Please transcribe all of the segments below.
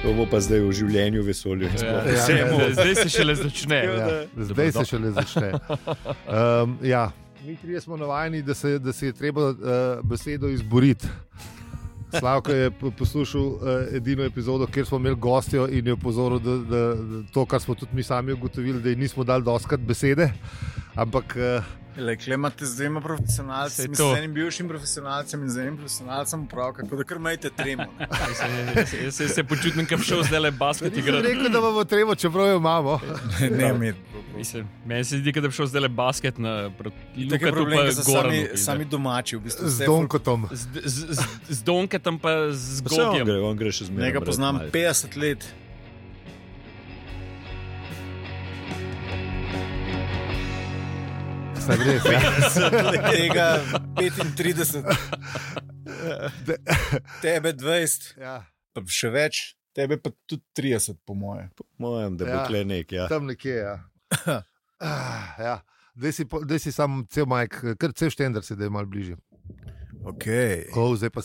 To bo pa zdaj v življenju, vesolju in sploh. Zdaj se šele začne. Zdaj se šele začne. Mi trije smo navajeni, da se je treba besedo izboriti. Slavko je poslušal edino epizodo, kjer smo imeli gostjo in je opozoril, da to, kar smo tudi mi sami ugotovili, da ji nismo dali doskrat besede, ampak... Imate z dvema profesionalcem, z enim bivšim profesionalcem in z enim profesionalcem upravka, tako da kar imate tremo. Jaz se počutim, da bi šel zdaj le basket igrati. Nisem rekel, da bomo tremo, čeprav jo imamo. Meni se zdi, da bi šel zdaj le basket proti Lukatu pa Goranu. Sami domači v bistvu. Z Donketom. Z Donketom pa z Gogjem. On gre še zmeraj. Njega poznam 50 let. Tega 35, tebe 20, pa še več, tebe pa tudi 30, po moje. Po mojem, da bo tle nek, Tam nekje, Daj si sam cel majk, kar cel štender se, da je malo bližje. Okay. Zdaj pa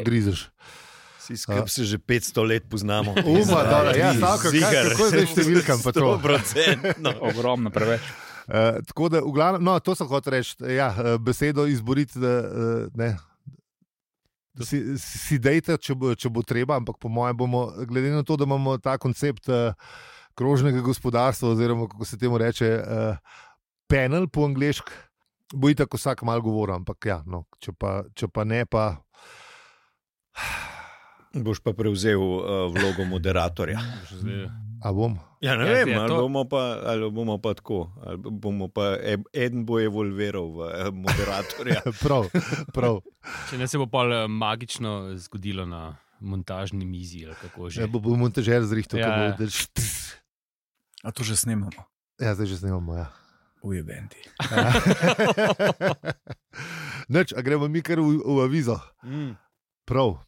grizeš. Si skrb se že 500 let poznamo. Kako je zdaj številkam pa to? 100%. Ogromno, preveč. Tako da, v glavnem, to sem hotel reči, besedo izboriti, si dejte, če bo treba, ampak po mojem bomo, glede na to, da imamo ta koncept krožnega gospodarstva, oziroma kako se temu reče, panel po angleško, bo itak vsak malo govoril, ampak če pa ne, pa... Boš pa prevzel vlogo moderatorja. A bom? Ja, ne vem, ali bomo pa tako, ali bomo pa eden bo evolviral v moderatorja. Prav. Če ne se bo pa magično zgodilo na montažni mizi, ali kako že. Bo montažer zrihtal, A to že snemamo? Ja, zdaj že snemamo, Ujebenti. Nič, a gremo mi kar v avizo. Prav.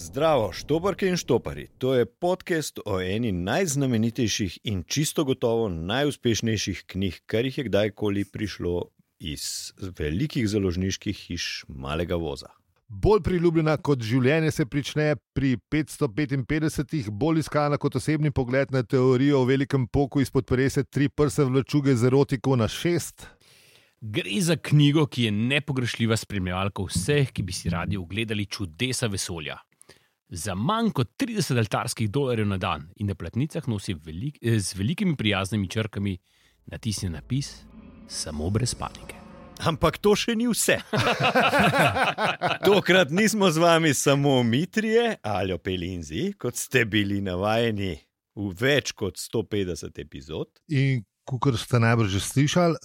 Zdravo, štoparke in štopari. To je podcast o eni najznamenitejših in čisto gotovo najuspešnejših knjig, kar jih je kdajkoli prišlo iz velikih založniških hiš malega voza. Bolj priljubljena kot življenje se prične pri 555, bolj iskana kot osebni pogled na teorijo o velikem poku izpod perese 3 prse vlačuge z erotiko na 6. Gre za knjigo, ki je nepogrešljiva spremljevalka vseh, ki bi si radi ogledali čudesa vesolja. Za manj kot $30 na dan in na platnicah nosi z velikimi prijaznimi črkami natisnjen napis samo brez panike. Ampak to še ni vse. Tokrat nismo z vami samo mi trije, Aljo, Peli in Zi, kot ste bili navajeni v več kot 150 epizod. In kakor ste najbrž že slišali,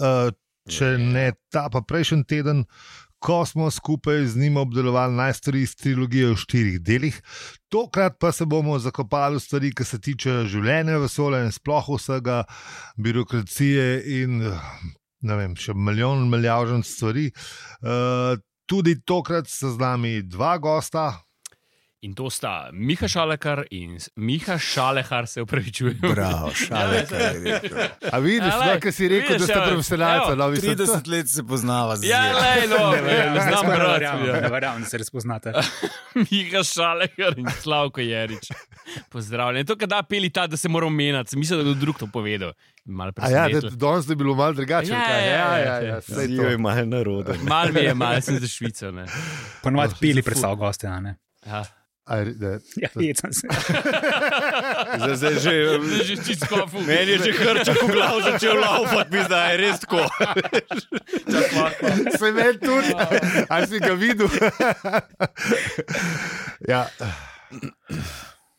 če ne ta pa prejšnji teden, ko smo skupaj z njim obdelovali najstarejšo trilogijo v 4 delih. Tokrat pa se bomo zakopali v stvari, ki se tiče življenja, vesolja in sploh vsega, birokracije in ne vem, še milijon stvari. Tudi tokrat so z nami 2 gosta. In to sta Miha Šalekar in Miha Šalehar, se upravičujem. Bravo, Šalekar. A vidiš, kaj si rekel, da ste profesionalca? 30 let se poznava z ne znam brati. Ne verjamem, da se res poznate. Miha Šalekar in Slavko Jerič. Pozdravljeni. To, kada Peli ta, da se moramo menjati. Mislim, da je drug to povedal. Danes je bilo malo drugače. Zijo je malo naroden. Mal mi je, mal sem za Švico. Ponovadi Peli predstav goste, ne? Ja. Jecam se. Zdaj že čisto kofu. Meni je že hrčak v glavu začel laufati, mi zdaj je res tako. Se meni tudi. Ali si ga videl?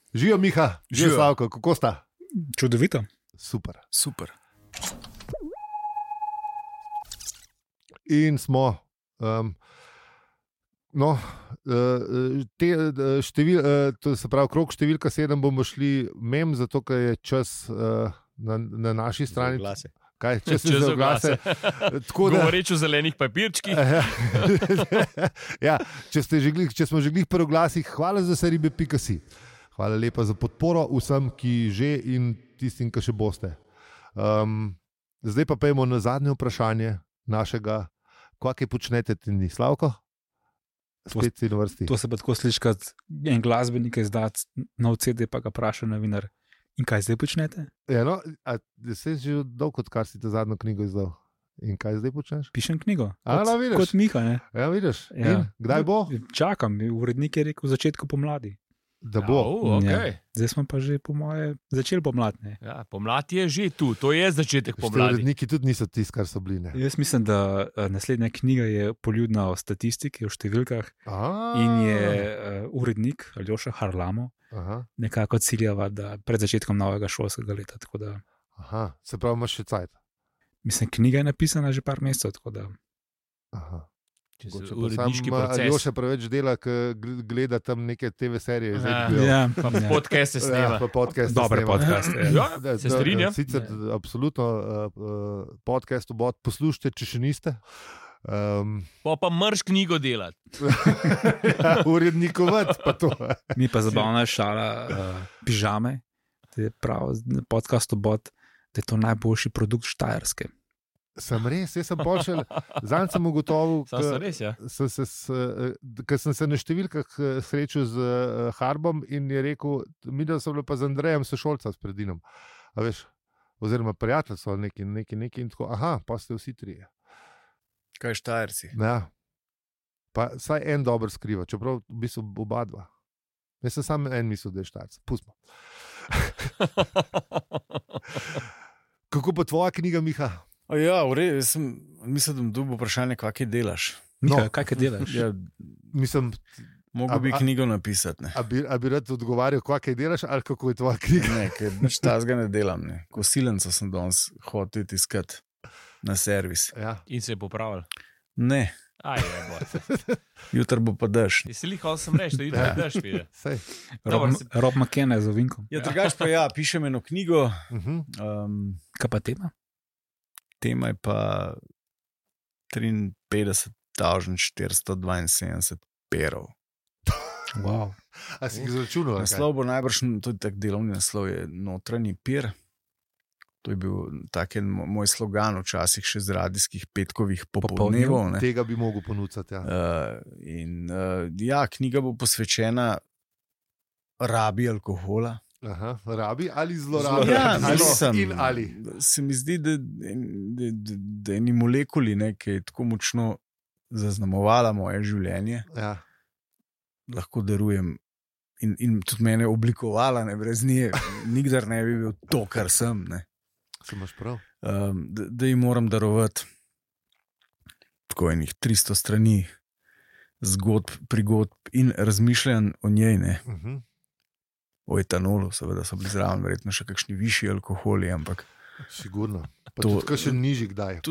Živijo Miha, živijo Slavko, kako sta? Čudovito. Super. In smo... to se pravi, krog številka 7 bomo šli zato ker je čas na naši strani. Kaj, če se za oglase. Govoreč o zelenih papirčkih. Ja, če smo že glih pri oglasih, hvala za seribe.si. Hvala lepa za podporo vsem, ki že in tistim, ki še boste. Zdaj pa pejmo na zadnje vprašanje našega, kaj počnete ti, Slavko? Spet si na vrsti. To se pa tako sliši, kot en glasbenik izdati nov CD, pa ga vpraša novinar. In kaj zdaj počnete? Ja, no, se že dolgo, odkar si ta zadnjo knjigo izdal. In kaj zdaj počneš? Pišem knjigo. Vidiš. Kot Miha, ne? Ja, vidiš. Ja. Kdaj bo? Čakam, urednik je rekel v začetku pomladi. Da bo. Okay. Ja. Zdaj smo pa že, po moje, začeli pomladne. Ja, pomlad je že tu, to je začetek pomladi. Uredniki tudi niso tisti, kar so bili. Ne? Jaz mislim, da naslednja knjiga je poljudna o statistiki, o številkah. In je urednik Aljoša Harlamo nekako ciljava, da pred začetkom novega šolskega leta. Da, se pravi, imaš še cajt. Mislim, knjiga je napisana že par mesecev. Uredniški proces. Aljoša preveč dela, gleda tam neke TV serije. Podcaste snema. Dobre podcaste. Se strinjam. Sicer absolutno podcast obot poslušajte, če še niste. Pa mrš knjigo delati. Urednikovat pa to. Mi pa zabavna šala pižame, to je prav podcast obot, da je to najboljši produkt Štajerske. Sem res, jaz sem pošel, zanj sem ugotovil, ker sem se na številkah srečal z Harbom in je rekel, mi da so bile pa z Andrejem sošolca s Predinom, oziroma prijatelj so neki in tako, pa ste vsi trije. Kaj Štajerci? Ja, pa saj en dober skriva, čeprav v bistvu oba dva. Jaz sem sam en mislil, da je Štajerci, pustimo. Kako pa tvoja knjiga, Miha? Ja, mislim, da bom dobil vprašanje, kaj delaš. Kaj delaš? Ja, mislim, mogo bi knjigo napisati. A bi rad odgovarjal, kaj delaš, ali kako je tvoja knjiga? Ne, ker nič tazga ne delam. Ne. Kosilenco sem danes hotel iskati na servis. Ja. In se je popravil? Ne. Jutro bo pa dež. Si lihal sem reči, da jutro dež vide. Rob McKenna z ovinkom. Ja, drugač pa pišem eno knjigo. Kaj pa tema? Tema je pa 53.472 perov. Wow. A si jih izračunal? Naslov bo najbrž, tudi tak delovni naslov je Notranji pir. To je bil tak moj slogan včasih še z radijskih petkovih popoldnevov. Tega bi mogel ponuditi. Knjiga bo posvečena rabi alkohola. Rabi ali zlorabi? Ali. Se mi zdi, da eni molekuli, ki je tako močno zaznamovala moje življenje, lahko darujem in tudi mene oblikovala, brez nje nikdar ne bi bil to, kar sem. Se imaš prav. Da jim moram darovati tako enih 300 strani zgodb, prigodb in razmišljanj o njej. O etanolu, seveda so bili zraven, verjetno še kakšni višji alkoholi, ampak... Sigurno. Tudi kakšen nižji kdaj.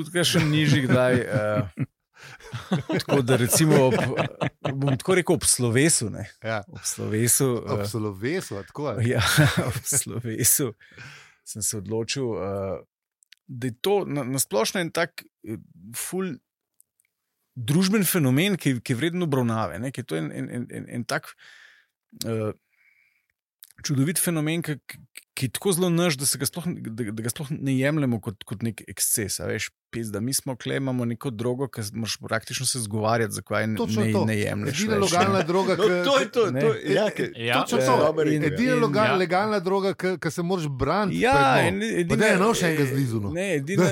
Tako da recimo, bom tako rekel, ob slovesu. Ob slovesu. Ob slovesu, tako je. Ja, ob slovesu sem se odločil, da je to nasplošno en tak ful družben fenomen, ki je vreden obravnave. Ki je to en tak... čudovit fenomen, ki je tako zelo naš, da ga sploh ne jemljemo kot nek eksces. Da mi smo tukaj, imamo neko drogo, ki moraš praktično se zgovarjati, zakaj ne jemlješ. Edina legalna droga, edina legalna droga, ki se moraš braniti. Ja, pa da je eno še enega zlizu. Edina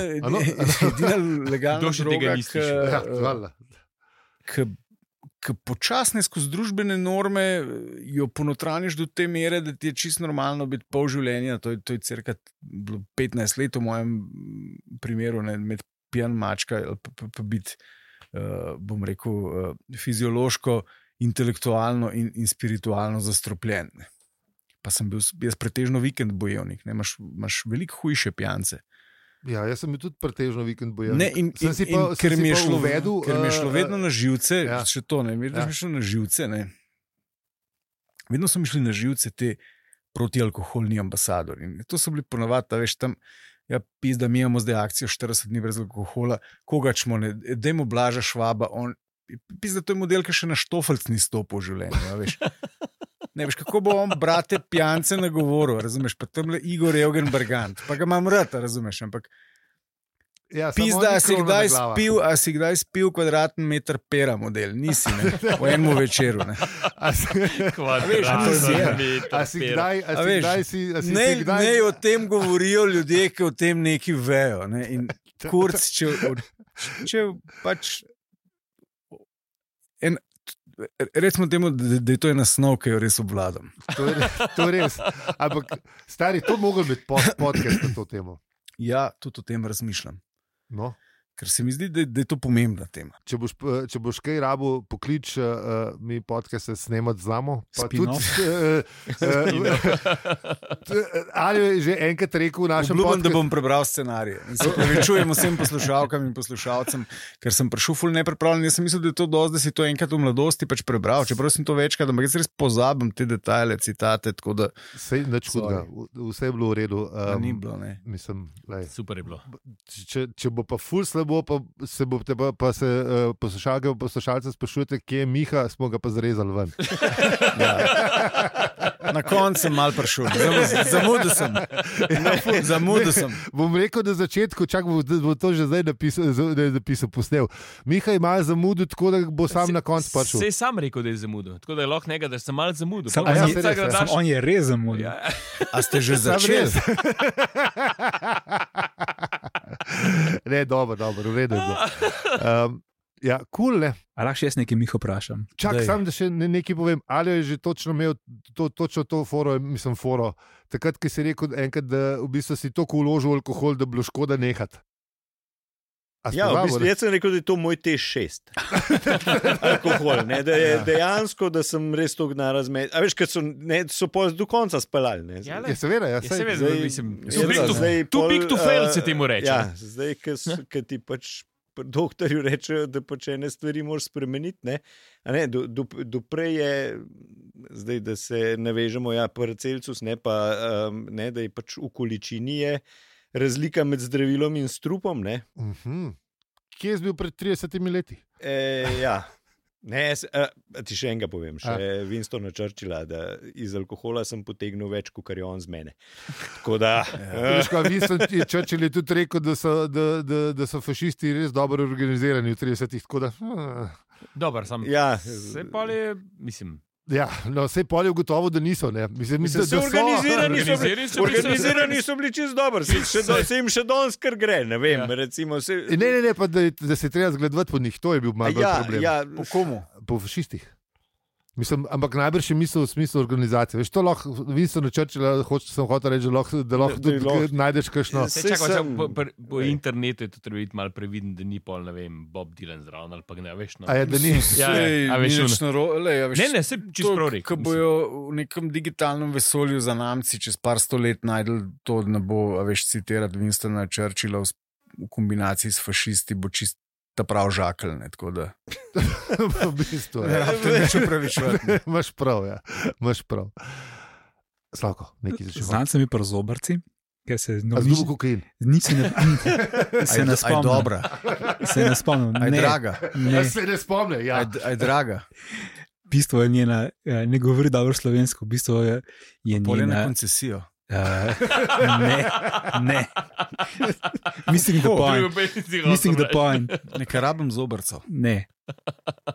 legalna droga, ki počasne skozi družbene norme jo ponotraniš do te mere, da ti je čisto normalno biti pol življenja. To je cirka 15 let v mojem primeru, med pijan mačka pa biti, bom rekel, fiziološko, intelektualno in spiritualno zastropljen. Pa sem bil jaz pretežno vikend bojevnik, imaš veliko hujše pijance. Ja, jaz sem bil tudi pretežno vikend bojevnik. Ker mi je šlo vedno na živce, še to, vedno mi šlo na živce, vedno so mi šli na živce te protialkoholni ambasadori. To so bili ponovadi, tam Ja, pizda, mi imamo zdaj akcijo 40 dni brez alkohola, koga čmo, ne, dajmo Blaža Švaba, pizda, to je model, ki še na štofelc ni stopil v življenju, ja, veš. Ne veš, kako bo on brate pijance nagovoril, razumeš, pa tamle Igor Eugen Bergant, pa ga imam rad, razumeš, ampak Ja, pizda, a si kdaj spil kvadratni meter pera model? Nisi, ne? V enem večeru, ne? Ne o tem govorijo ljudje, ki o tem neki vejo, ne? In kurc, če pač recimo temu, da je to ena snov, ki jo res obvladam. To je res. Ampak, stari, to mogel biti podcast na to temo. Ja, tudi o tem razmišljam. No. Ker se mi zdi, da je to pomembna tema. Če boš kaj rabo, poklič mi podcast snemati znamo. Ali je že enkrat rekel v našem podcastu, da bom prebral scenarije. Prevečujem vsem poslušalkam in poslušalcem, ker sem prišel ful nepripravljen. Jaz sem mislil, da je to dosti, da si to enkrat v mladosti pač prebral. Čeprav sem to večkrat, ampak jaz res pozabim te detajle, citate. Vse je bilo v redu. Ni bilo, ne. Mislim, super je bilo. Če bo pa ful slabo, pa se poslušalce sprašujete, kje je Miha, smo ga pa zrezali ven. Ja. Na koncu sem mal prišel, zamudil sem. Bom rekel, da začetku, čak bo to že zdaj napisal, posnel. Miha je malo zamudil, tako da bo sam na koncu prišel. Sej sam rekel, da je zamudil, tako da je lahko nekaj, da sem malo zamudil. On je res zamudil. Ja. A ste že začeli? Ne, dobro, v redu je bilo. Ja, cool, ne. A lahko še jaz nekaj Miho vprašam? Čak, sam da še nekaj povem. Ali je že točno imel točno to foro, takrat, ki si rekel enkrat, da v bistvu si toliko vložil alkohol, da bi bilo škoda nehati. Ja, v bistvu jaz sem rekel, da je to moj T6. Alkohol, ne, da je dejansko, da sem res to narazmed. A veš, ker so pa do konca speljali, ne. Ja, seveda, mislim. Too big to fail se temu reče. Ja, zdaj, ker ti pač doktorju rečejo, da pač ene stvari moraš spremeniti, ne. A ne, doprej je, zdaj, da se navežemo, ja, Paracelsus, ne, pa, ne, da je pač v količini je razlika med zdravilom in strupom, ne. Kje je bil pred 30 leti? Ja. Ne, ti še enega povem, še Winstona Churchilla, da iz alkohola sem potegnil več, kot je on z mene. Tako da... Winston Churchill je tudi rekel, da so fašisti res dobro organizirani v 30-ih, tako da... Dobar, sam ja. Se pa je, mislim... Ja, no, vse pol je ugotovo, da niso. Mislim, da organizirani so bili čisto dobri, se jim še danes kar gre. Ne vem, recimo. Ne, pa da se treba zgledovati po njih, to je bil malo problem. Ja, po komu? Po fašistih. Mislim, ampak najbrž je misel v smislu organizacije. Veš, to lahko, Winston Churchill, sem hotel reči, da lahko tudi najdeš kakšno. Po internetu je to treba biti malo previden, da ni pol, ne vem, Bob Dylan zraven ali pa ne, veš. A je, da ni. Ne, se čisto prav rekel. Ko bojo v nekem digitalnem vesolju za namci čez par stolet najdel to, da ne bo, veš, citirati Winstona Churchilla v kombinaciji s fašisti, bo čist ta prav žakelj, tako da. V bistvu, ja. Imaš prav, ja. Imaš prav. Slavko, nekaj začel. Znam se mi pa zobarci, ker se... Zdubo kokain. Se ne spomnim. Aj dobra. Se ne spomnim. Aj draga. Se ne spomnim, ja. Aj draga. V bistvu je njena, ne govori dobro slovensko, v bistvu je njena... Polje na koncesijo. Ne. Missing the point. Nekaj rabim zobrcev. Ne.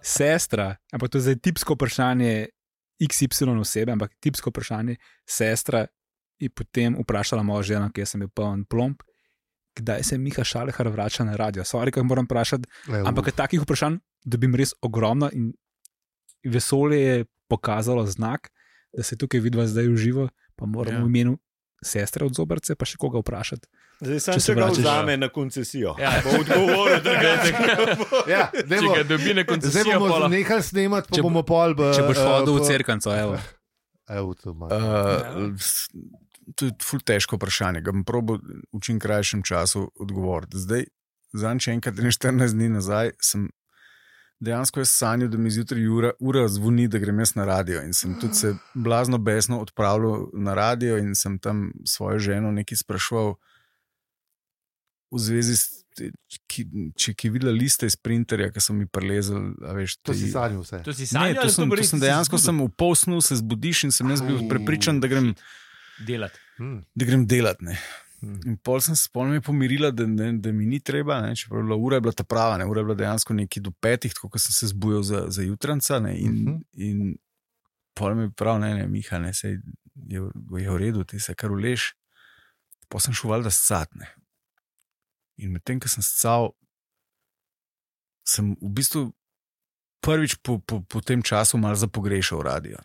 Sestra, ampak to je zdaj tipsko vprašanje XY osebe, ampak tipsko vprašanje sestra je potem vprašala mojo ženo, ki sem bil poln plomb, kdaj se Miha Šalehar vrača na radio. Sorry, kaj moram vprašati, ampak takih vprašanj dobim res ogromno in vesolje je pokazalo znak, da se tukaj vidva zdaj v živo, pa moram v imenu sestre od zobrce pa še koga vprašati. Zdaj sem se ga vzame na koncesijo. Ja, bo odgovoril, da ga če ga dobi na koncesijo. Zdaj bomo nehali snemati, pa bomo pol... Če boš hodil v cerkanco, evo. To je ful težko vprašanje, ga bom probal v čim krajšem času odgovoriti. Zdaj, zanj še enkrat 14 dni nazaj, sem dejansko jaz sanjal, da mi zjutraj ura zvoni, da grem jaz na radio in sem tudi se blazno besno odpravljal na radio in sem tam svojo ženo nekaj spraševal, v zvezi s če je videla liste iz printerja, ki so mi prelezali. To si sanjal vse. To si sanjal, to sem dejansko sem v pol snu se zbudiš in sem jaz bil prepričan, da grem delati. Da grem delati, ne. In pol sem se mi pomirila, da mi ni treba, ne. Čeprav ura je bila ta prava, ne. Ura je bila dejansko nekaj do 5, tako ko sem se zbujal za jutranca, ne. In pol mi prav, ne, Miha, ne, sej je v redu, ti se kar uleš. Pol sem šel valjda scat, ne. In medtem, ko sem scal, sem v bistvu prvič po tem času malo zapogrešal radio.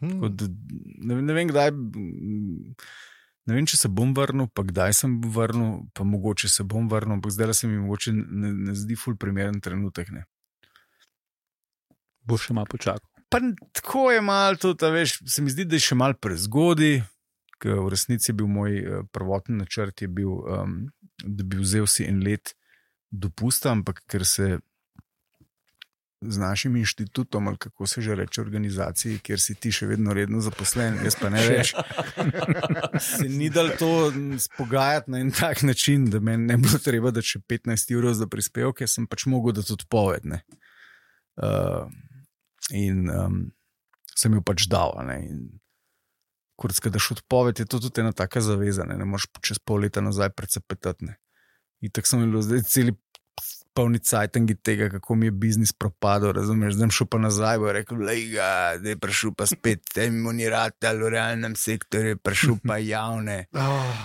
Ne vem, kdaj, ne vem, če se bom vrnil, pa kdaj sem vrnil, pa mogoče se bom vrnil, ampak zdaj se mi mogoče ne zdi ful primeren trenutek. Ne. Boš še malo počakal. Pa tako je malo tudi, veš, se mi zdi, da je še malo prezgodi, ker v resnici je bil moj prvotni načrt, je bil, da bi vzel si en let dopusta, ampak ker se z našim inštitutom, ali kako se že reče, organizaciji, kjer si ti še vedno redno zaposlen, jaz pa ne več, se ni dal to spogajati na en tak način, da meni ne bilo treba, da še 15 € za prispevke, sem pač mogel dati odpoved, ne. In sem jo pač dal, ne. In kurc, daš odpoved, je to tudi ena taka zaveza, ne moreš čez pol leta nazaj precepetati, ne. In tako sem imel zdaj celi polni cajtangi tega, kako mi je biznis propadel, razumeš, zdaj šel pa nazaj, bo rekel, lejga, da je prišel pa spet temonirat, v realnem sektorju je prišel pa javne,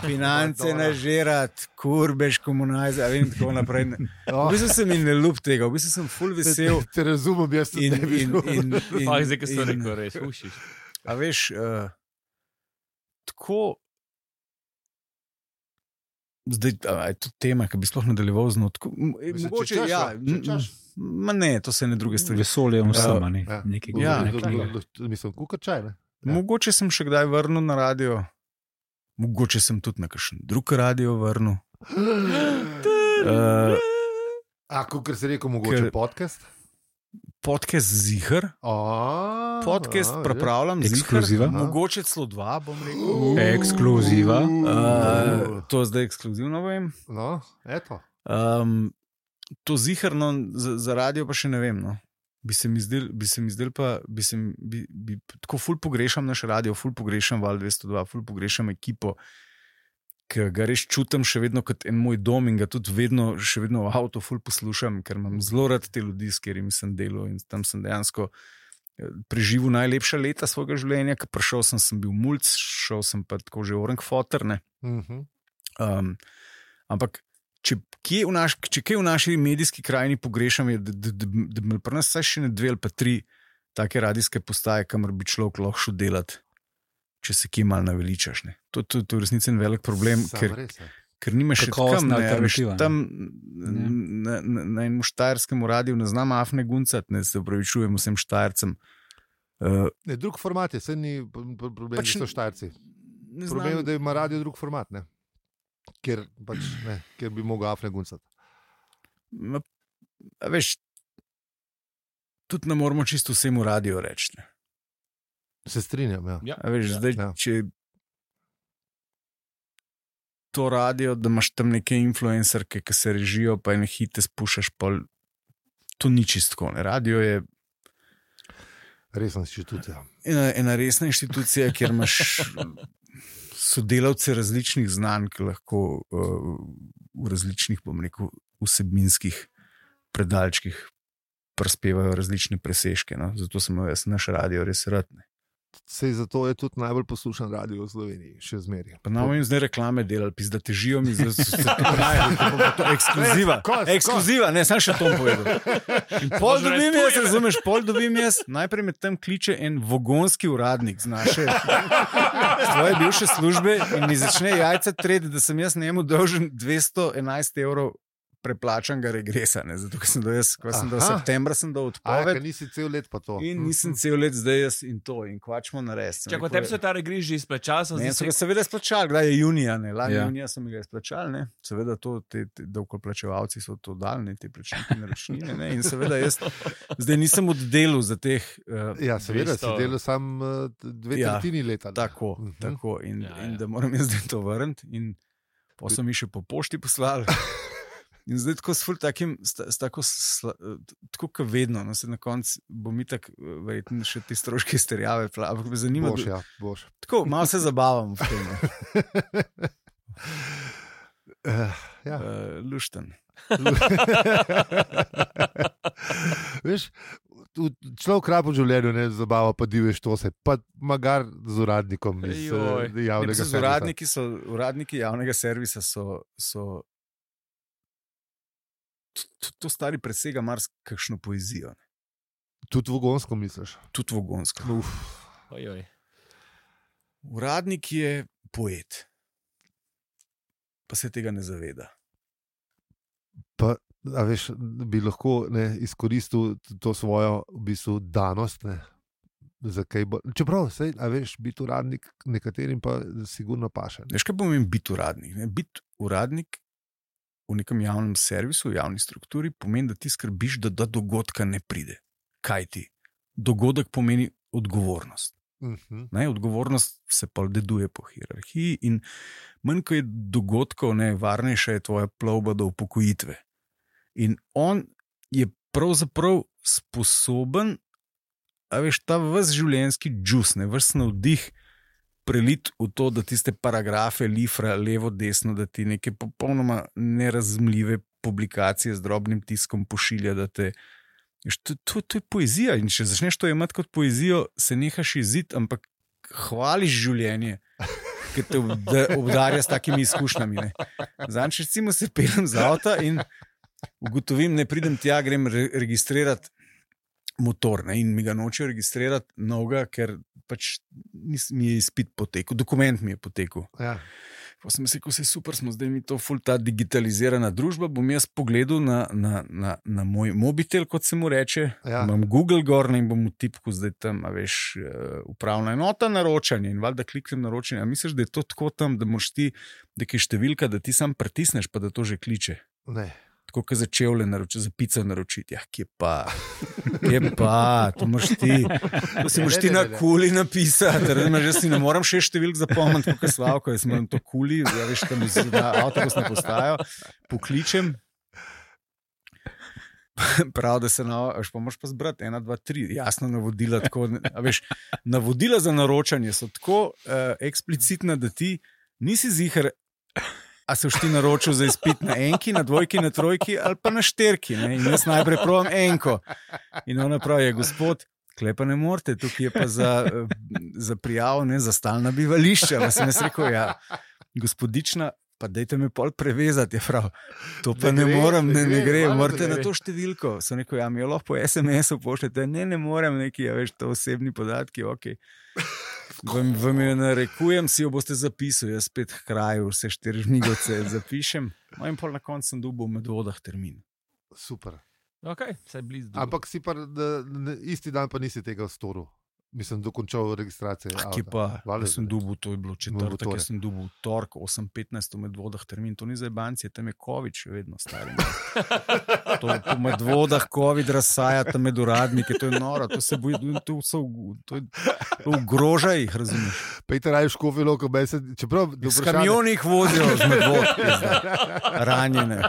finance nažerat, kurbeš, komunajze, vem, tako naprej. V bistvu se mi ne ljub tega, v bistvu sem ful vesel. Te razumem, jaz tudi ne bi šel. Zdaj, kaj so rekel, res, ušiš. A veš, tako, zdaj, je to tema, ki bi sploh nadaljeval z notko. Mogoče, ja, ma ne, to se ne druge stvari. Vesolje vsema, ne. Mislim, kukačaj, ne. Mogoče sem še kdaj vrnil na radio, mogoče sem tudi na kakšen drug radio vrnil. Kukor si rekel, mogoče podcast? Podcast ziher. Podcast pripravljam ekskluziva. Mogoče celo 2, bom rekel. Ekskluziva. To zdaj ekskluzivno vem. No, eto. To ziherno za radio pa še ne vem, no. Bi se mi zdel pa, tako ful pogrešam naš radio, ful pogrešam Val 202, ful pogrešam ekipo, ki ga res čutim še vedno kot en moj dom in ga tudi še vedno v avtu ful poslušam, ker imam zelo rad te ljudi, s katerimi sem delal in tam sem dejansko preživel najlepša leta svojega življenja, ker prišel sem bil mulc, šel sem pa tako že Orenkfoter, ne. Ampak če kje v naši medijski krajini pogrešam, je, da bi pri nas vsaj še ne 2 ali pa 3 take radijske postaje, kamor bi človek lahko šel delati, če se kje malo naveličaš. Ne. To je v resnici en velik problem, ker nimaš še tam na enem štajerskem radiju ne znam afne guncati, ne, se upravičujem vsem Štajercem. Drug format je, se ni problem, pač, da so Štajerci. Problem je, da ima radio drug format, ne. Ker bi mogel afne guncati. Veš, tudi ne moramo čisto vsemu radio reči, ne. Se strinjam, ja. Veš, zdaj, če to radio, da imaš tam neke influencerke, ki se režijo, pa ene hite spušaš, pa to ni čistko. Radio je resna inštitucija. Ena resna inštitucija, kjer imaš sodelavce različnih znanj, ki lahko v različnih, bom rekel, vsebinskih predalčkih prispevajo različne presežke. No? Zato sem jaz naš radio res rad. Sej zato je tudi najbolj poslušan radio v Sloveniji, še zmeraj. Pa nam jim zdaj reklame delali, pizda težijo mi, zdaj so se to ekskluziva. Ekskluziva, ne, sam še to povedal. In pol dobim jaz, razumeš, najprej me tam kliče en vogonski uradnik z naše svoje bivše službe in mi začne jajca treti, da sem jaz njemu dolžen 211 € preplačanega regresa, ne? Zato, ker sem do septembra sem do odpoved. Nisi cel let pa to. In nisem cel let zdaj jaz in to. In kvačmo narediti. Čakaj, tebi so ta regres že izplačali? Ne, so ga seveda izplačali. Kdaj je junija, ne? Lani junija so mi ga izplačali, ne? Seveda to, te davkoplačevalci so to dali, ne? Te plačniki naročnine, ne? In seveda jaz zdaj nisem oddelil za teh ja, seveda, si delal sam 2/3 leta. Tako. In da moram jaz zdaj to vrniti. In Pa so mi še po pošti poslali. In zdaj tako s takim, tako kot vedno, no, se na koncu bo mi tako, verjetno še te stroške izterjave, ampak me zanima. Boš. Tako, malo se zabavam v tem. Lušten. Veš, človek kraj po življenju ne zabava, pa diveš to se, pa magar z uradnikom iz javnega servisa. Uradniki javnega servisa so to stari presega marsikakšno poezijo. Ne? Tudi vogonsko misliš? Tudi vogonsko. Uradnik je poet, pa se tega ne zaveda. Pa, a veš, bi lahko izkoristil to svojo v bistvu danost, ne? Čeprav, a veš, biti uradnik nekaterim pa sigurno paše. Veš, kaj pomeni biti uradnik? Ne? Biti uradnik v nekem javnem servisu, v javni strukturi, pomeni, da ti skrbiš, da do dogodka ne pride. Kaj ti? Dogodek pomeni odgovornost. Odgovornost se pa deduje po hierarhiji in manj, ko je dogodkov, varnejša je tvoja plovba do upokojitve. In on je pravzaprav sposoben, a veš, ta ves življenjski džus, ves navdih prelit v to, da tiste paragrafe lifra levo, desno, da ti neke popolnoma nerazumljive publikacije z drobnim tiskom pošilja, da te... To je poezija in če začneš to imati kot poezijo, se nehaš izid, ampak hvališ življenje, ki te obdarja s takimi izkušnjami. Zanč, recimo se peljem z avta in ugotovim, ne pridem tja, grem registrirati motor in mi ga nočejo registrirati novega, ker pač mi je izpit potekel, dokument mi je potekel. Ja. Pa sem se rekel, vse super, smo zdaj mi to ful ta digitalizirana družba, bom jaz pogledal na moj mobitel, kot se mu reče, imam Google gor in bom v tipku zdaj tam, a veš, upravna enota naročanje in valjda kliknem naročanje. A misliš, da je to tako tam, da moraš ti, da je številka, da ti sam pritisneš, pa da to že kliče? Ne. Tako, kot za čevlje naročiti, za pico naročiti. Ja, kje pa, to moraš ti. To si moraš ti na kuli napisati. Jaz si ne moram 6 številk zapomniti, kot je Slavko, jaz moram to kuli, ja, veš, tam na avtobusno postajo, pokličem. Prav, da se pa moraš pa zbrati 1, 2, 3, jasno navodila. Tako, veš, navodila za naročanje so tako eksplicitna, da ti nisi zihar, a se ti naročil za izpit na enki, na dvojki, na trojki ali pa na šterki. Ne? In jaz najprej provam enko. In ona pravi, gospod, klepa ne morete, tukaj je pa za prijavo, za stalna bivališča. Pa sem jaz rekel, ja, gospodična, pa dajte me pol prevezati. Je prav, to pa ne morem, ne gre, morate na to številko. Sem rekel, ja, mi jo lahko po SMS-u pošljete, ne morem neki, ja, veš, to osebni podatki, okej. Vam jo narekujem, si jo boste zapisali, jaz spet k kraju, vse 4 žmigoce zapišem. No in pol na koncu sem dobil v Medvodah termin. Super. Okay, blizu. Ampak si pa isti dan pa nisi tega storil. Mislim, dokončal registracijo. Kje pa? Jaz sem dobil, to je bilo četrtek, jaz sem dobil tork 8:15 v Medvodah termin. To ni za jebanci, tam je COVID še vedno stari. To v Medvodah COVID razsaja tam med uradniki, to je noro, to se boji, to ogroža jih, razumeš? Pejte raje v Škofjo Loko, čeprav... S kamionih vozijo z Medvod, ranjene.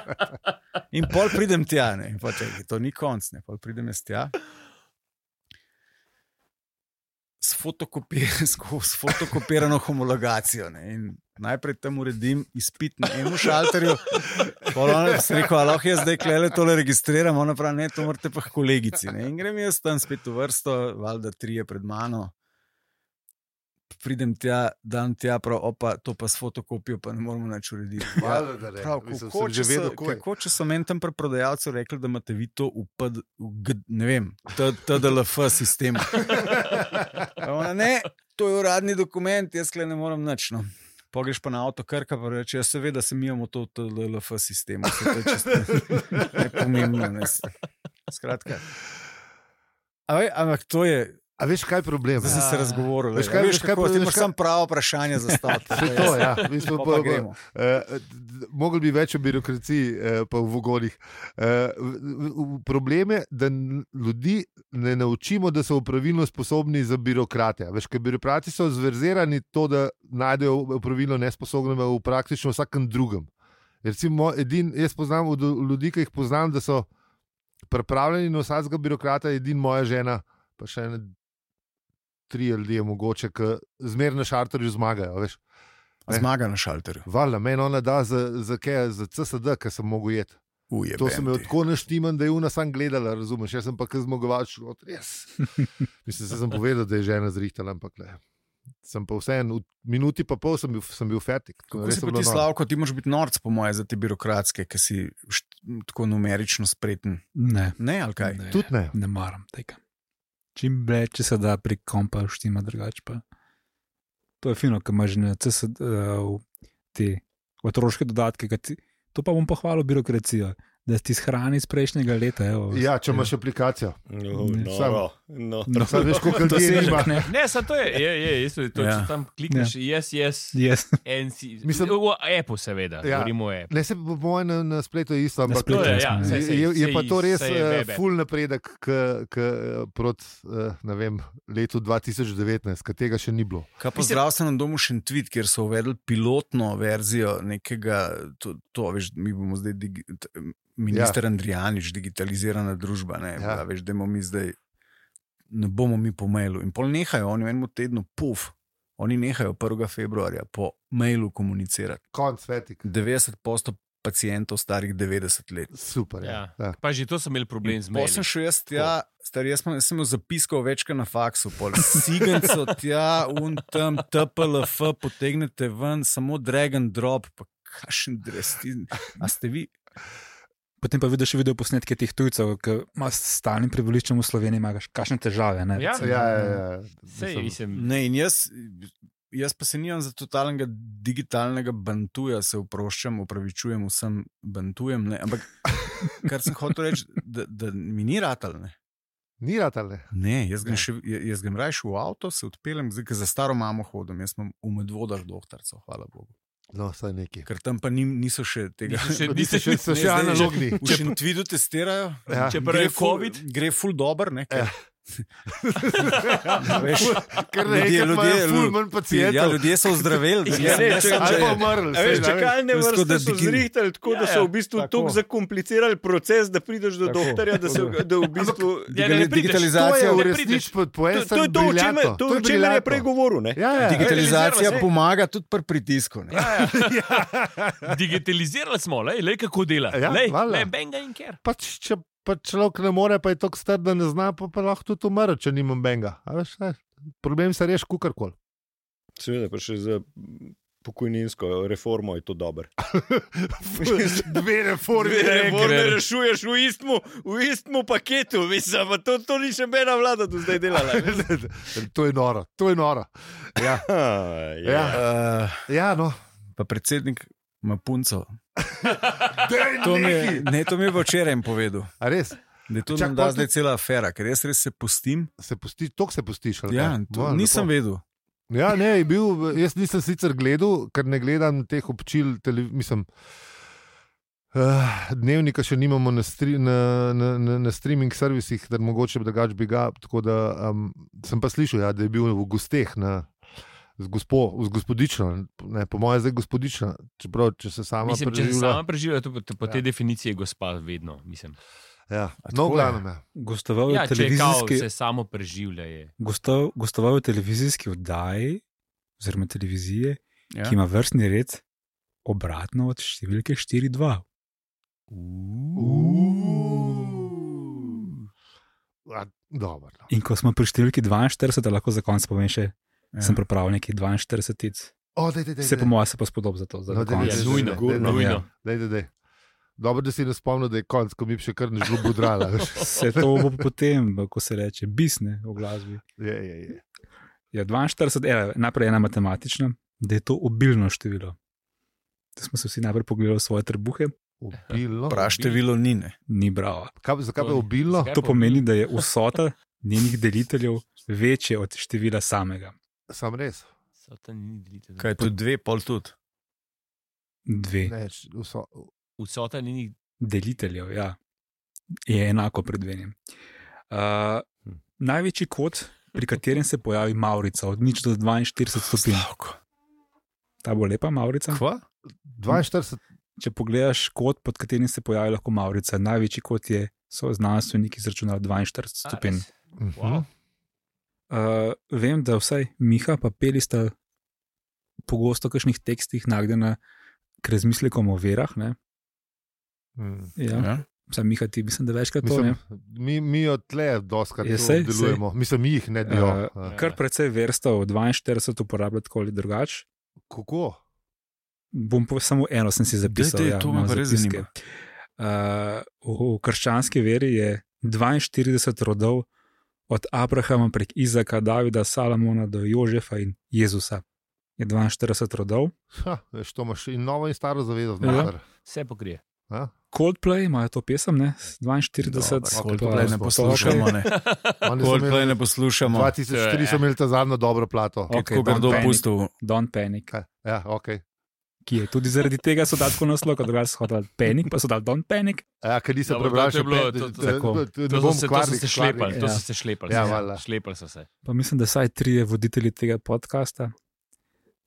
In pol pridem tja, ne, pa čekaj, to ni konc, ne, pol pridem jaz tja. S fotokopirano homologacijo. Ne? In najprej tam uredim izpit na enem šalterju. Sem rekel, lahko jaz zdaj klele tole registriram, ona pravi, ne, to morate pa kolegici. Ne? In grem jaz tam spet v vrsto, valjda 3 pred mano. Pridem tja, dan tja, prav, opa, to pa s fotokopijo pa ne moramo nič urediti. Kako, če so meni tam pri prodajalcu rekli, da imate vi to ne vem, TDLF sistem. Ne, to je uradni dokument, jaz ne morem nič. No. Pogreš pa na avto Krka, pa reče, ja, seveda se mi imamo to TDLF sistem. To je čisto nepomembno. Skratka. Ampak to je A veš, kaj je problem? Zdaj si se razgovoril. Veš, kako ti imaš samo pravo vprašanje zastaviti. To, ja. Mogli bi več o birokraciji, pa v vogonih. Problem je, da ljudi ne naučimo, da so pravilno sposobni za birokrate. Veš, ker birokrati so zverzirani to, da najdejo pravilno nesposobne v praktično vsakem drugem. Recimo, jaz poznam ljudi, ki jih poznam, da so pripravljeni na vsakega birokrata, edin moja žena, pa še ene 3 ljudje mogoče, ki zmerno na šalterju zmagajo. Veš. Zmaga na šalterju. Valjda, meni ona da za CSD, ki sem mogel jeti. To sem jo tako naštiman, da je ona sam gledala, razumeš, jaz sem pa kaj zmagovač, res. Mislim, sem povedal, da je žena zrihtala, ampak ne. Sem pa vseeno, v minuti pa pol sem bil fertik. Kako si pa ti, Slavko, ti moraš biti norc, po moje, za te birokratske, ki si tako numerično spreten. Ne. Ne, ali kaj? Ne. Tudi ne. Ne maram tega. Čim več, če se da prek kompa štima drugače pa. To je fino, ker imaš te otroške dodatke, to pa bom pohvalil birokracijo, da ti shrani iz prejšnjega leta. Evo, ja, če imaš aplikacijo. No. Veš, koliko ljudi ima. Ne, samo to je, če tam klikneš, yes. Mislim, v appu seveda, govorimo o appu. Ne, se po mojem na spletu je isto, ampak je pa to res ful napredek proti, ne vem, letu 2019, ker tega še ni bilo. Kaj pa zdravstvenem domu Šentvid, kjer so uvedli pilotno verzijo nekega, to veš, mi bomo zdaj minister Andrijanič, digitalizirana družba, ne, veš, da mi zdaj ne bomo mi po mailu. In pol nehajo, oni v enem tednu, oni nehajo 1. februarja po mailu komunicirati. Konc svetik. 90% pacientov starih 90 let. Super, ja. Pa že to sem imel problem z mailom. Potem šel jaz tja, jaz sem imel zapiskal večkrat na faksu, sigenco tja, tam TPLF, potegnete ven, samo drag and drop, pa kakšen dres. A ste vi... Potem pa vidiš video posnetke teh tujcev, ki ima s stalnim prebivališčem v Sloveniji, imaš kakšne težave. Ne? Ja. Ne, in jaz pa se nimam za totalnega digitalnega bantuja, se opravičujem vsem bantujem, ne? Ampak kar sem hotel reči, da mi ni ratal. Ne? Ni ratal, ne? Ne, jaz grem rajši v avto, se odpeljem, zdaj, ker za staro mamo hodim, jaz imam v Medvodah doktorco, hvala Bogu. No, saj neki. Ker tam pa niso še tega. Niso še analogni. V Šentvidu testirajo, če pa je COVID. Gre ful dober, ne? Ker ljudje ful manj pacijentov. Ja, ljudje so ozdraveli. Ali pa umrli. Čakalne vrste so zrihtali, tako da so v bistvu tako zakomplicirali proces, da prideš do doktorja, da v bistvu... Digitalizacija v resnici po en stran briljantno. To je o čemer je prej govoril. Digitalizacija pomaga tudi pri pritisku. Digitalizirali smo, lej kako dela. Lej, benga in ker. Pač, če pa človek ne more, pa je tako star, da ne zna, pa lahko tudi umre, če nimam benga. Problem se reši kukarkoli. Seveda, pa še za pokojninsko reformo je to dobro. Dve reforme rešuješ v istmu paketu, mislim, pa to ni še bena vlada do zdaj delala. To je noro. Ja, no. Pa predsednik ima punco. To mi je včeraj povedal. A res? Da je to nam da zdaj cela afera, ker jaz res se pustim. Toliko se pustiš? Ja, nisem vedel. Ja, ne, jaz nisem sicer gledal, ker ne gledam teh občil, mislim, dnevnika še nimamo na streaming servisih, da mogoče drugače bi ga, tako da sem pa slišal, da je bil v gosteh z gospodično, ne, po moje zdaj gospodična, čeprav, če se sama preživlja. Če se sama preživlja, po tej definiciji je gospa vedno, mislim. Ja, no, glavno. Gostoval je televizijski... se samo preživlja je. Gostoval je televizijski oddaji, oziroma televizije, ki ima vrstni red obratno od številke 4-2. Dobro. In ko smo pri številki 42, lahko za konec povem še, sem pripravil nekih 42. Se po mojem se pa spodob za to. Nujno. Dobro, da si ne spomnil, da je konc, ko mi še kar ne žlo budrala. Se to bo potem, ko se reče, bisne v glasbi. Je. Ja, 42, najprej ena matematična, da je to obilno število. Da smo se vsi najprej pogledali svoje trebuhe. Obilno? Prav število ni, ne? Ni bravo. Zakaj pa je obilno? To pomeni, da je vsota njenih deliteljev večje od števila samega. Sam res. Kaj je to 2, pol tudi? 2. Vsota njenih deliteljev, ja, je enako pred 2. Največji kot, pri katerem se pojavi Maurica, od 0 do 42 stopinj. Ta bo lepa Maurica. Kva? 42. Če pogledaš kot, pod katerim se pojavi lahko Maurica, največji kot so znanstveniki izračunali 42 stopinj. Wow. Vem, da vsaj Miha pa Peli sta pogosto v kakšnih tekstih nagnjena k razmislekom o verah. Ne? Ja. Sam Miha, ti mislim, da večkrat to ne. Mi od tle doskrat delujemo. Mislim, mi jih ne delo. Kar precej verstev 42 uporablja tako ali drugače. Kako? Bom samo eno sem si zapisal. To me res zanima. V krščanski veri je 42 rodov od Abrahama prek Izaka, Davida, Salamona do Jožefa in Jezusa. Je 42 rodov. Veš, to imaš in novo in staro zavezo. Vse pokrije. Coldplay imajo to pesem, ne? 42. Coldplay ne poslušamo, ne. Coldplay ne poslušamo. 2004 so imeli ta zadnjo dobro plato. Okay, Don't Panic. Ja, ok. Ki je tudi zaradi tega so dali tako naslov, kot drugače so hodili Panic, pa so dali Don't Panic. Ja, ker nisem prebral še To so se šlepali. Ja, šlepali so se. Pa mislim, da saj 3 voditelji tega podcasta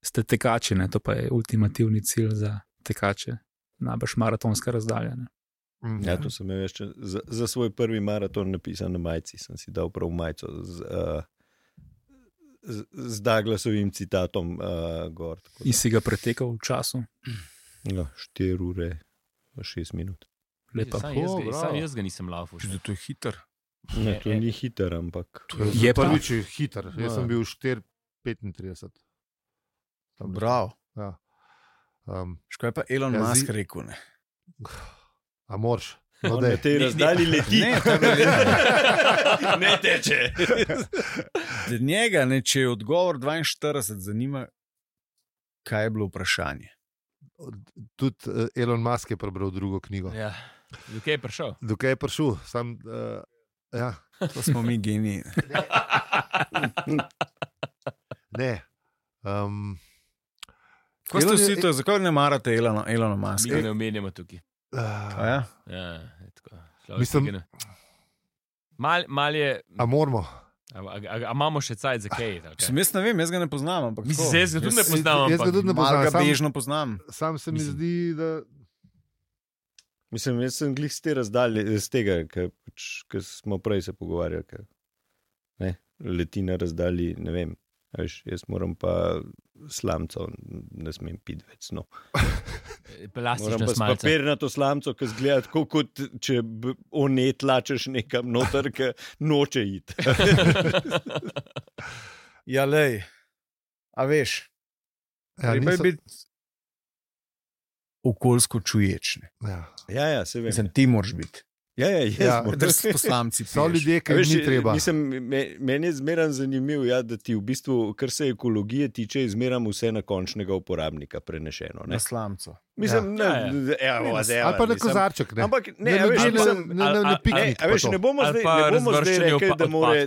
ste tekači, ne? To pa je ultimativni cilj za tekače. Najbrž maratonska razdalja. Ja, to sem imel še za svoj prvi maraton napisan na majici. Sem si dal prav majico z Douglasovim citatom gor. In si ga pretekal v času? No, 4 ure, 6 minut. Lepa. Sam jaz ga nisem laufal. To je hiter. Ne, to ni hiter, ampak... Je pa prvič hiter. Jaz sem bil 4:35. Bravo. Ja. Škoda je pa Elon Musk rekel, ne? A moraš? On na tej razdalji leti. Ne teče. Njega, ne, če je odgovor 42, zanima, kaj je bilo vprašanje. Tudi Elon Musk je prebral drugo knjigo. Ja. Dokaj je prišel? Dokaj je prišel? Ja. To smo mi geniji. Ne. Ko ste vsi to, zakaj ne marate Elona Muska? Mi ga ne omenjamo tukaj. Ja, tako. Mislim, mal je... A moramo? A imamo še cajt za kaj? Jaz ne vem, jaz ga ne poznam. Mislim, jaz ga tudi ne poznam. Jaz ga tudi ne poznam. Malo ga bežno poznam. Sam se mi zdi, da... Mislim, jaz sem glih z te razdalje, z tega, ker smo prej se pogovarjali, ker leti na razdalji, ne vem. Jaz moram pa slamco, ne smem piti več. No. Moram pa s papirnato slamco, ki zgleda tako, kot če ne tlačeš nekam noter, ki noče iti. Ja, lej, a veš, treba je biti okoljsko čuječ. Ja, se vem. Mislim, ti moraš biti. Ja, drsti poslanci. So ljudje, ki jih ni treba. Meni je zmeraj zanimivo, da ti v bistvu, kar se ekologije tiče, zmeraj vse na končnega uporabnika prenešeno. Ne? Na slamco. Mislim, ali pa na kozarček. Ampak ne piknik. Ne bomo zdaj rekli,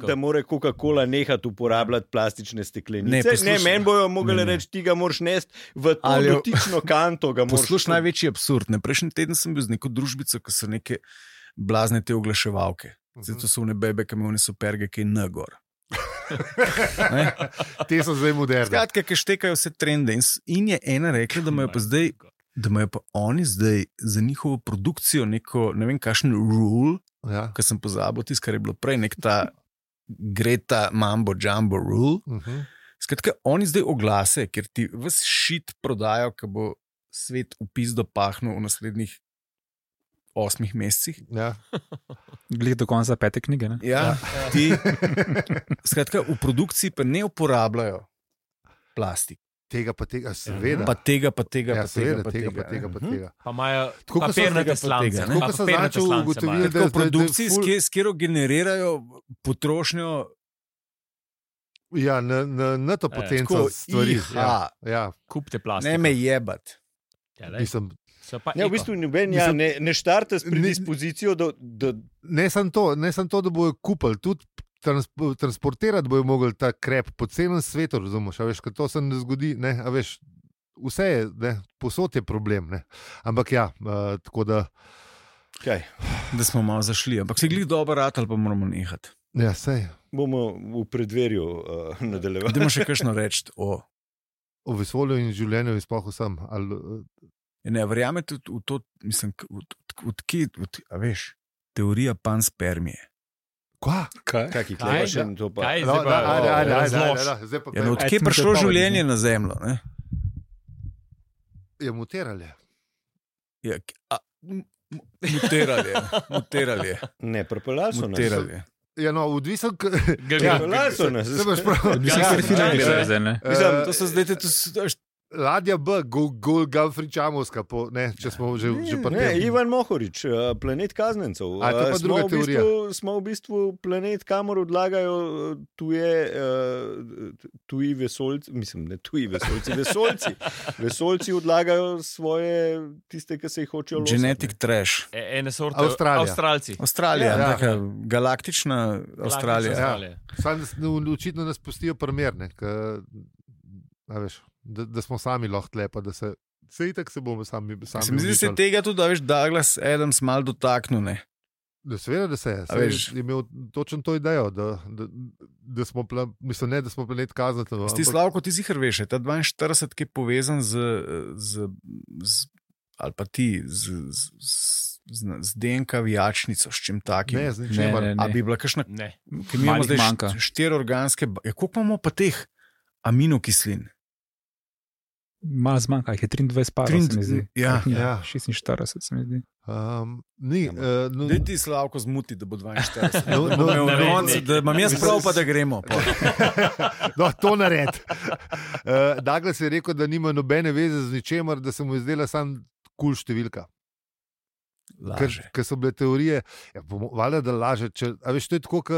da mora Coca-Cola nehati uporabljati plastične steklenice. Ne, meni bojo mogli reči, ti ga moraš nesti v to dotično kanto. Poslušaj, največji absurd. Prejšnji teden sem bil z neko družbico, ki so neke blazne te oglaševalke. Zdaj to so one bebe, ki imajo superge, ki je nagor. Te so zdaj moderne. Skratka, ki štekajo vse trende. In je ena rekla, da imajo pa oni zdaj za njihovo produkcijo neko, ne vem, kakšen rule, ki sem pozabil tisto, kar je bilo prej, nek ta Greta Mambo Jumbo rule. Skratka, oni zdaj oglase, ker ti ves shit prodajo, ki bo svet v pizdo pahnil v naslednjih 8 mesecih. Ja. Glede do konca 5. knjige. Ne? Ja, ti. Skratka, v produkciji pa ne uporabljajo plastik. Tega pa tega, seveda. Pa tega. Ja, seveda, tega pa tega. Pa imajo papirnate slance. Tako so začeli ugotoviti, da v produkciji, s katero generirajo potrošnjo. Ja, na to potenco stvari. Ja. Kupite plastik. Ne me jebat. Mislim, v bistvu ne štarte s predispozicijo, da... Ne samo to, da bojo kupili, tudi transportirati bojo mogli ta krep po celem svetu, razumeš, a veš, ker to se ne zgodi, ne, a veš, vse je, ne, posod je problem, ne, ampak ja, tako da... Kaj? Da smo malo zašli, ampak se glih dobro rad ali pa moramo nehati. Ja, sej. Bomo v predverju nadaljevali. Idemo še kakšno reči o vesolju in življenju in sploh vsem. Ne, verjamete v to, mislim, a veš, teorija panspermije. Kaj? Odkje je prišlo življenje na Zemljo? Ne? Je muterali. Muterali. Ne, propelali so nas. Ja, no, odvisno... Propelali so nas. To so zdaj... Ladja B, Golgafričamovska, če smo že prvi. Ne, Ivan Mohorič, planet kaznencev. A to pa druga teorija. Smo v bistvu planet, kamor odlagajo tuji vesoljci, mislim, ne tuji vesoljci, vesoljci odlagajo svoje, tiste, ki se jih hočejo losati. Genetic trash. Ene sorte Avstralci. Avstralija, taka galaktična Avstralija. Očitno nas pustijo primerne, da smo sami lahko tle, pa da se itak se bomo sami se mi zdi, da se tega tudi, da veš, Douglas Adams mal dotaknil, ne? Seveda, da se je. Je imel točno to idejo, da smo planet kaznatelj. Ti Slavko, ti zihar veš, ta 42, ki je povezan z ali pa ti z DNK vijačnico, s čim takim. Ne, z ničemer. A bi bila kakšna... Ne. Ki mi imamo zdaj 4 organske... Koliko imamo pa teh aminokislin? Malo zmanjka, jih je 23 parov, se mi zdi. Ja. 46, se mi zdi. Daj ti Slavko zmuti, da bo 42. Da imam jaz prav, pa da gremo. No, to nared. Douglas je rekel, da nima nobene veze z ničemer, da se mu je zdela sam kul številka. Laže. Ker so bile teorije, valjda, da laže. A veš, to je tako, kot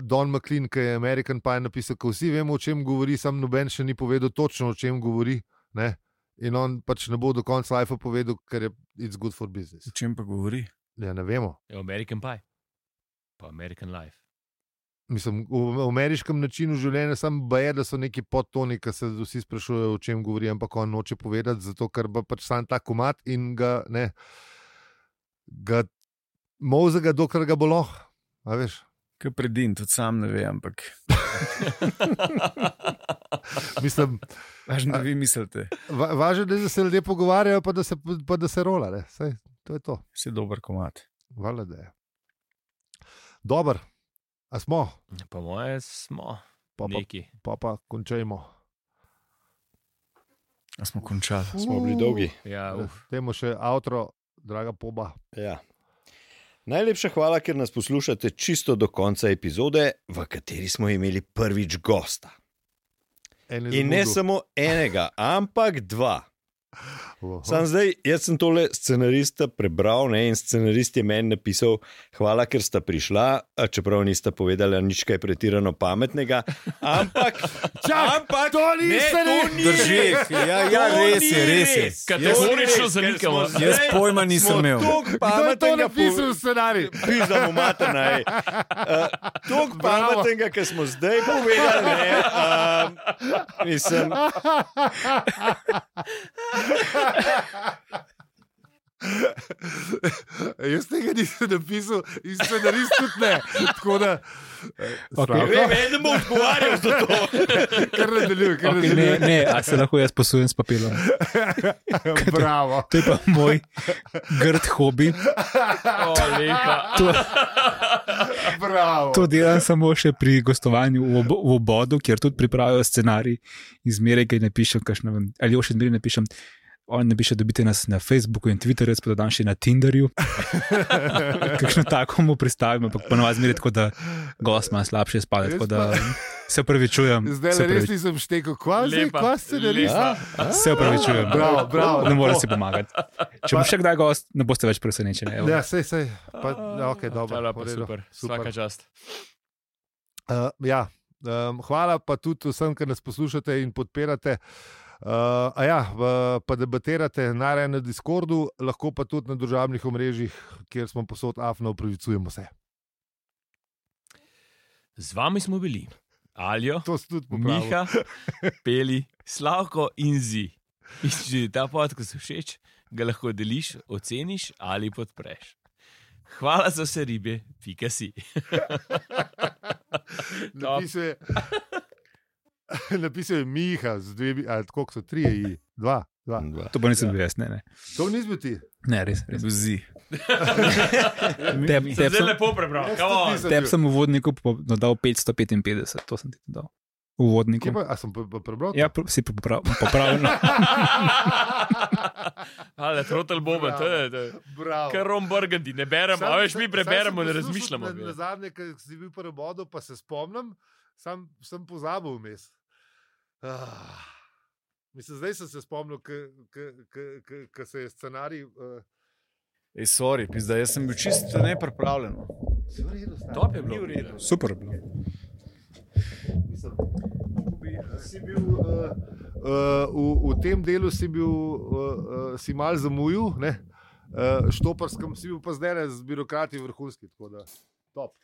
Don McLean, ki je American Pie napisal, ko vsi vemo, o čem govori, sam noben še ni povedal točno, o čem govori, ne? In on pač ne bo do konca life povedal, ker je it's good for business. O čem pa govori? Ja, ne vemo. American Pie, pa American Life. Mislim, v ameriškem načinu življenja sam baje, da so neki podtoni, ki se vsi sprašujejo, o čem govori, ampak on noče povedati, zato ker bo pač sam ta komat in ga mozega, dokler ga bo lahko, a veš. Kaj predin, tudi sam ne ve, ampak... Mislim... Važno, da vi mislite. Važno, da se ljudje pogovarjajo, pa da se rola, ne. Saj, to je to. Si dober komat. Hvala, da je. Dobar. A smo? Po moje smo. Neki. Pa končajmo. A smo končali. Smo bili dolgi. Ja, Temo še outro, draga Poba. Ja. Najlepša hvala, ker nas poslušate čisto do konca epizode, v kateri smo imeli prvič gosta. In ne samo enega, ampak 2. Sam zdaj, jaz sem tole scenarista prebral, ne, in scenarist je meni napisal, hvala, ker sta prišla, čeprav nista povedala nič kaj pretirano pametnega, ampak to niste drži. Ja, res je. Kategorično zanikamo. Jaz pojma nisem imel. Kdo je to napisal v scenarij? Pizdamo materna, toliko pametnega, ker smo zdaj povedali, ne, mislim... Jaz tega nisem napisal in scenarist tudi ne. Tako da ne bom odgovarjal za to. Kar nadaljuj. Ne, a se lahko jaz posujem s papilom. Bravo. To je pa moj grd hobi. Bravo. To delam samo še pri gostovanju v Obodu, kjer tudi pripravijo scenarij in zmeraj kaj napišem, ali jo še zmeraj napišem. On ne piše, da dobite nas na Facebooku in Twitterju, pa da dan še na Tinderju. Kakšno tako mu pristavim, ampak ponovadi zmeraj tako, da gost ima slabše spade, tako da se opravičujem. Zdaj res nisem štekel, kva scenarista. Se opravičujem. Bravo. Ne more si pomagati. Če bo še kdaj gost, ne boste več presenečeni. Ja, sej. Ok, dobro. Super. Svaka čast. Hvala pa tudi vsem, ki nas poslušate in podpirate. Pa debatirate najraje na Discordu, lahko pa tudi na družabnih omrežjih, kjer smo posod afno, opravičujemo se. Z vami smo bili Aljo, Miha, Peli, Slavko in Zi. In če ti ta podcast všeč, ga lahko deliš, oceniš ali podpreš. Hvala za vse ribe, pika si. Napisal je Miha, koliko so 3, 2. To pa nisem bil jaz, ne. To nisi bil ti? Ne, res. Zi. Zelo lepo prebral. Tebi sem v uvodniku dodal 555, to sem ti dal. V uvodniku. A sem prebral? Ja, si popravljeno. Ale, Trotel Boba, to je. Kar Ron Burgundy, ne beremo, a veš, mi preberemo, ne razmišljamo. Na zadnje, ko si bil prvi bodo, pa se spomnim, sem pozabil vmes. Mislim, zdaj sem se spomnil, ko se je scenarij... Sorry, pizda, jaz sem bil čisto nepripravljen. Top je bilo. Super je bilo. Si bil, v tem delu si mal zamujil, ne? Štoparskem si bil pa zdaj z birokrati vrhunski, tako da top.